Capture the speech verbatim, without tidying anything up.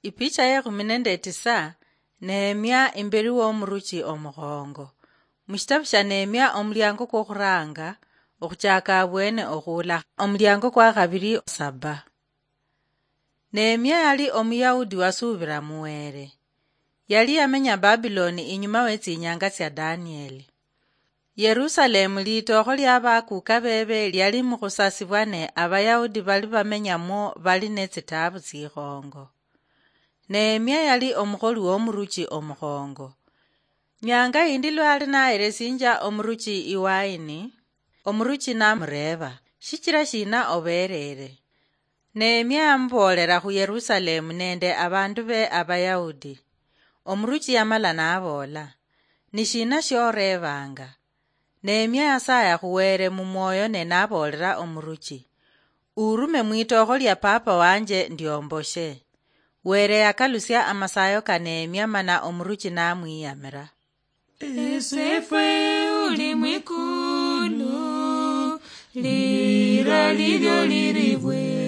Ipicha yekhumi nende tisa. Nehemia imberi womuruchi omukhongo. Mushitabu sha Nehemia omuliango kwokhuranga okhuchaka abwene okhuula omuliango kwa khabiri saba. Nehemia yali Omuyahudi wasuubira mu Wele. Yali yamenya Babiloni inyuma wetsinyanga tsia Danieli. Yerusalemu, litookho lia bakuuka beebe, liali mukhusasibwa, ne Abayahudi bali bamenyamwo bali ne tsitaabu tsikhongo. Nehemia yali omukholi womuruchi omukhongo. Nyanga yindi lwali naheresinja omuruchi iwaini, omuruchi namureeba, "Shichira shina obeerere?" Nehemia yamuboolera khu Yerusalemu nende abandu be Abayahudi. Omuruchi yamala naboola, "Ni shina shioreebanga?" Nehemia yasaya khu Wele mu mwoyo ne naboolera omuruchi, "Urume mwitookho lia papa wanje ndiomboshe." Wele yakalusia amasayo ka Nehemia mana omuruchi namwiyamira. Esefwe uli mwikulu, lira lilyo liribwe.